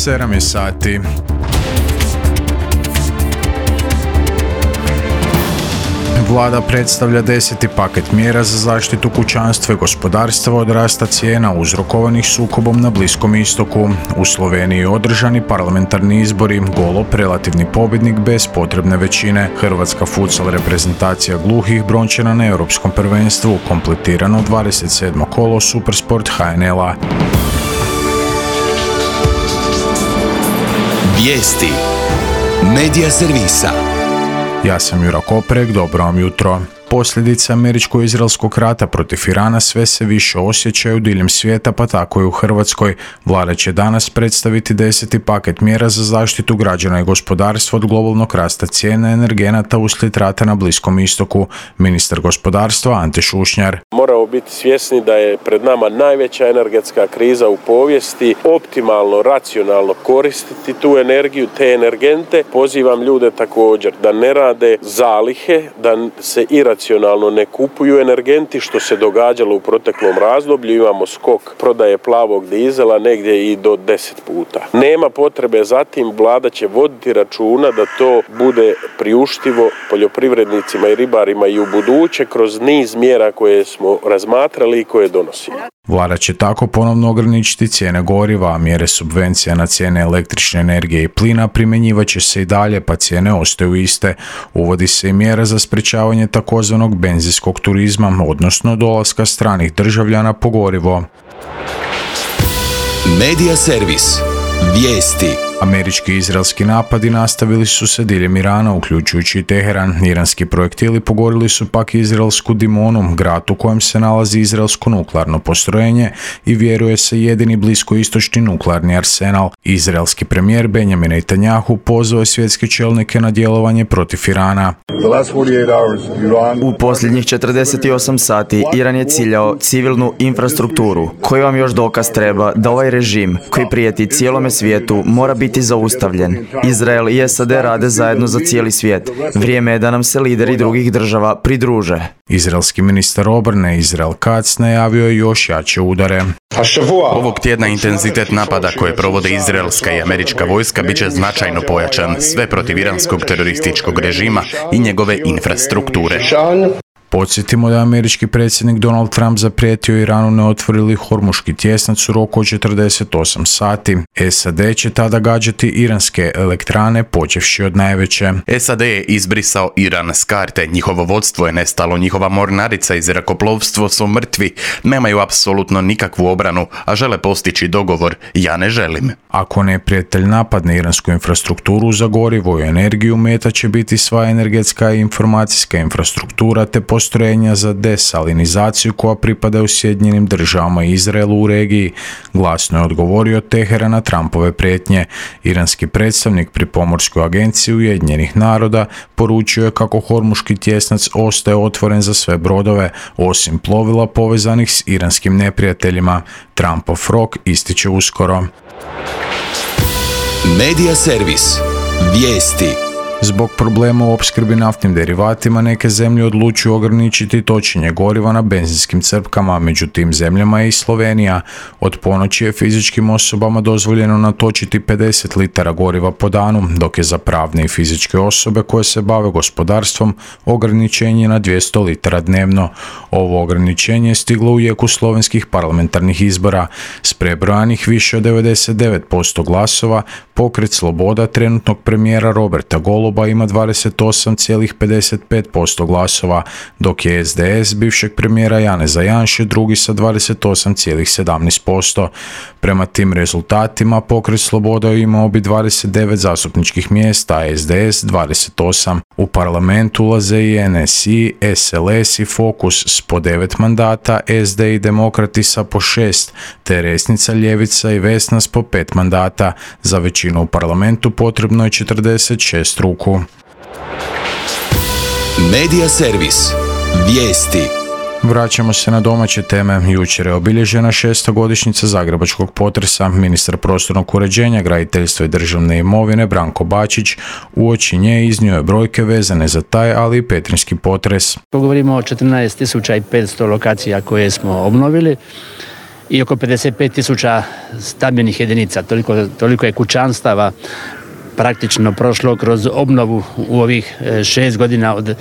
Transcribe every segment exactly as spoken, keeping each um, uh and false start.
sedam je sati. Vlada predstavlja deseti paket mjera za zaštitu kućanstva i gospodarstva od rasta cijena uzrokovanih sukobom na Bliskom istoku. U Sloveniji održani parlamentarni izbori, Golob relativni pobjednik bez potrebne većine. Hrvatska futsal reprezentacija gluhih brončana na europskom prvenstvu, kompletirano dvadeset sedmo kolo Supersport H N L-a. Vijesti Medija servisa. Ja sam Jura Koprek, dobro vam jutro. Posljedice američko-izraelskog rata protiv Irana sve se više osjećaju diljem svijeta, pa tako i u Hrvatskoj. Vlada će danas predstaviti deseti paket mjera za zaštitu građana i gospodarstva od globalnog rasta cijene energenata uslijed rata na Bliskom istoku. Ministar gospodarstva Ante Šušnjar. Moramo biti svjesni da je pred nama najveća energetska kriza u povijesti. Optimalno, racionalno koristiti tu energiju, te energente. Pozivam ljude također da ne rade zalihe, da se iracionalno ne kupuju energenti, što se događalo u proteklom razdoblju. Imamo skok prodaje plavog dizela negdje i do deset puta. Nema potrebe za tim, vlada će voditi računa da to bude priuštivo poljoprivrednicima i ribarima i u buduće kroz niz mjera koje smo razmatrali i koje donosimo. Vlada će tako ponovno ograničiti cijene goriva, a mjere subvencija na cijene električne energije i plina primjenjivat će se i dalje, pa cijene ostaju iste. Uvodi se i mjera za sprječavanje takozvanog benzinskog turizma, odnosno dolaska stranih državljana po gorivo. Medija servis. Vijesti. Američki i izraelski napadi nastavili su se diljem Irana, uključujući i Teheran. Iranski projektili pogodili su pak izraelsku Dimonu, grad u kojem se nalazi izraelsko nuklearno postrojenje i vjeruje se jedini bliskoistočni nuklearni arsenal. Izraelski premijer Benjamin Netanjahu pozvao je svjetske čelnike na djelovanje protiv Irana. U posljednjih četrdeset osam sati Iran je ciljao civilnu infrastrukturu. Koji vam još dokaz treba da ovaj režim, koji prijeti cijelome svijetu, mora biti zaustavljen. Izrael i S A D rade zajedno za cijeli svijet. Vrijeme je da nam se lideri drugih država pridruže. Izraelski ministar obrane Israel Katz najavio je još jače udare. Ovog tjedna intenzitet napada koje provode izraelska i američka vojska bit će značajno pojačan, sve protiv iranskog terorističkog režima i njegove infrastrukture. Podsjetimo da je američki predsjednik Donald Trump zaprijetio Iranu ne otvorili Hormuški tjesnac u roku od četrdeset osam sati. S A D će tada gađati iranske elektrane, počevši od najveće. S A D je izbrisao Iran s karte, njihovo vodstvo je nestalo, njihova mornarica i zrakoplovstvo su mrtvi, nemaju apsolutno nikakvu obranu, a žele postići dogovor. Ja ne želim. Ako neprijatelj napadne iransku infrastrukturu za gorivo i energiju, meta će biti sva energetska i informacijska infrastruktura te postrojenja za desalinizaciju koja pripadaju Sjedinjenim državama i Izraelu u regiji, glasno je odgovorio Teheran na Trumpove prijetnje. Iranski predstavnik pri Pomorskoj agenciji Ujedinjenih naroda poručio je kako Hormuški tjesnac ostaje otvoren za sve brodove, osim plovila povezanih s iranskim neprijateljima. Trumpov rok ističe uskoro. Medija servis. Vijesti. Zbog problema u opskrbi naftnim derivatima neke zemlje odlučuju ograničiti točenje goriva na benzinskim crpkama, među tim zemljama je i Slovenija. Od ponoći je fizičkim osobama dozvoljeno natočiti pedeset litara goriva po danu, dok je za pravne i fizičke osobe koje se bave gospodarstvom ograničenje na dvjesto litara dnevno. Ovo ograničenje je stiglo u jeku slovenskih parlamentarnih izbora. S prebrojanih više od devedeset devet posto glasova, Pokret Sloboda trenutnog premijera Roberta Goloba ima dvadeset osam zarez pedeset pet posto glasova, dok je S D S bivšeg premijera Janeza Janše drugi sa dvadeset osam zarez sedamnaest posto. Prema tim rezultatima Pokret Sloboda imao bi dvadeset devet zastupničkih mjesta, a S D S dvadeset osam. U parlamentu ulaze i N S I, S L S i Fokus s po devet mandata, S D i Demokrati sa po šest, te Resnica, Ljevica i Vesna s po pet mandata. Za većinu u parlamentu potrebno je četrdeset šest ruku. Medija servis. Vijesti. Vraćamo se na domaće teme. Jučer je obilježena šestogodišnjica zagrebačkog potresa. Ministar prostornog uređenja, graditeljstva i državne imovine Branko Bačić uoči nje iznio je brojke vezane za taj, ali i petrinjski potres. Govorimo o četrnaest tisuća petsto lokacija koje smo obnovili i oko pedeset pet tisuća stambenih jedinica. Toliko, toliko je kućanstava praktično prošlo kroz obnovu u ovih šest godina od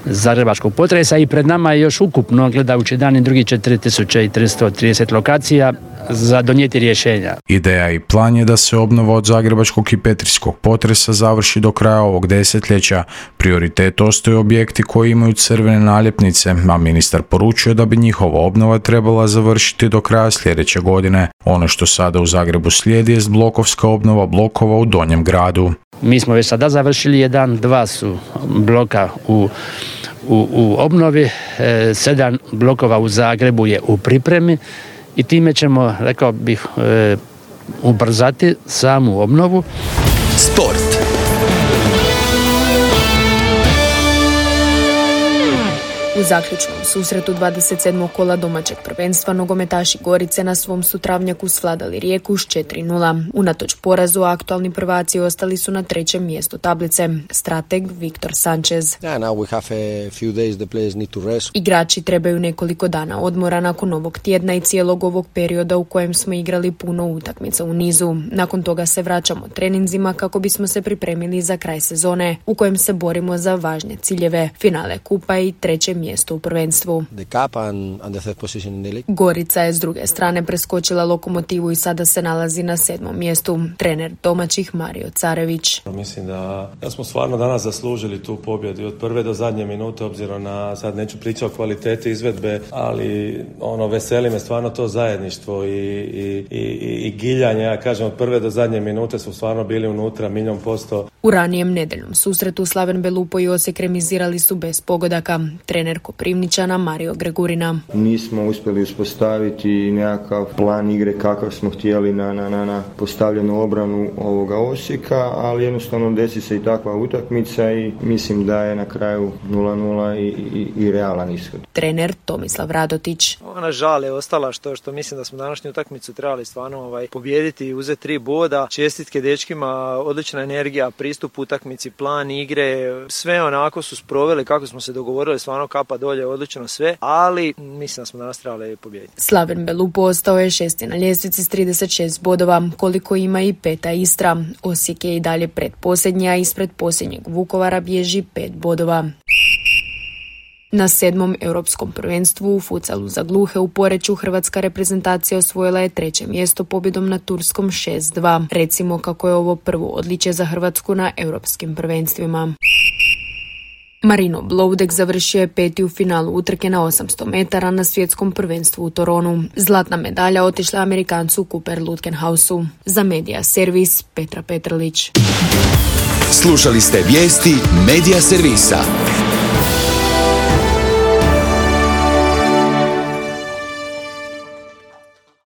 zagrebačkog potresa i pred nama je još ukupno, gledajući dan i drugi, četiri tisuće tristo trideset lokacija za donijeti rješenja. Ideja i plan je da se obnova od zagrebačkog i petrinjskog potresa završi do kraja ovog desetljeća. Prioritet ostaju objekti koji imaju crvene naljepnice, a ministar poručuje da bi njihova obnova trebala završiti do kraja sljedeće godine. Ono što sada u Zagrebu slijedi je blokovska obnova blokova u Donjem gradu. Mi smo već sada završili jedan, dva su bloka u, u, u obnovi, e, sedam blokova u Zagrebu je u pripremi i time ćemo, rekao bih, e, ubrzati samu obnovu. Sport. U zaključnom susretu dvadeset sedmog kola domaćeg prvenstva nogometaši Gorice na svom su travnjaku svladali Rijeku s četiri nula. Unatoč porazu aktualni prvaci ostali su na trećem mjestu tablice. Strateg Viktor Sanchez. Igrači trebaju nekoliko dana odmora nakon ovog tjedna i cijelog ovog perioda u kojem smo igrali puno utakmica u nizu. Nakon toga se vraćamo treninzima kako bismo se pripremili za kraj sezone u kojem se borimo za važne ciljeve, finale kupa i treće mjesto u prvenstvu. Gorica je s druge strane preskočila Lokomotivu i sada se nalazi na sedmom mjestu. Trener domaćih Mario Carević. Mislim da, da smo stvarno danas zaslužili tu pobjedu od prve do zadnje minute, obzirom na, sad neću pričati o kvaliteti izvedbe, ali ono, veseli me stvarno to zajedništvo i, i, i, i giljanje, ja kažem, od prve do zadnje minute su stvarno bili unutra milijon posto. U ranijem nedeljnom susretu Slaven Belupo i Osijek remizirali su bez pogodaka. Trener Koprivničana Mario Gregurina. Nismo uspjeli uspostaviti nekakav plan igre kakav smo htjeli na, na, na, na postavljenu obranu ovoga Osijeka, ali jednostavno desi se i takva utakmica i mislim da je na kraju nula nula i, i, i realan ishod. Trener Tomislav Radotić. Ona žal je ostala što, što mislim da smo današnju utakmicu trebali stvarno ovaj, pobijediti i uzeti tri boda. Čestitke dečkima, odlična energija, pristup utakmici, plan igre, sve onako su sproveli kako smo se dogovorili, stvarno kapa dolje, odlično sve, ali mislim da smo danas trebali pobijediti. Slaven Belupo ostao je šesti na ljestvici s trideset šest bodova, koliko ima i peta Istra. Osijek je i dalje predposljednji, a ispred posljednjeg Vukovara bježi pet bodova. Na sedmom europskom prvenstvu u futsalu za gluhe u Poreču hrvatska reprezentacija osvojila je treće mjesto pobjedom na turskom šest dva. Recimo kako je ovo prvo odličje za Hrvatsku na europskim prvenstvima. Marino Bloudek završio je peti u finalu utrke na osamsto metara na svjetskom prvenstvu u Toronu. Zlatna medalja otišla Amerikancu Cooper Lutkenhausu. Za Medija servis Petra Petrlić. Slušali ste vijesti Medija servisa.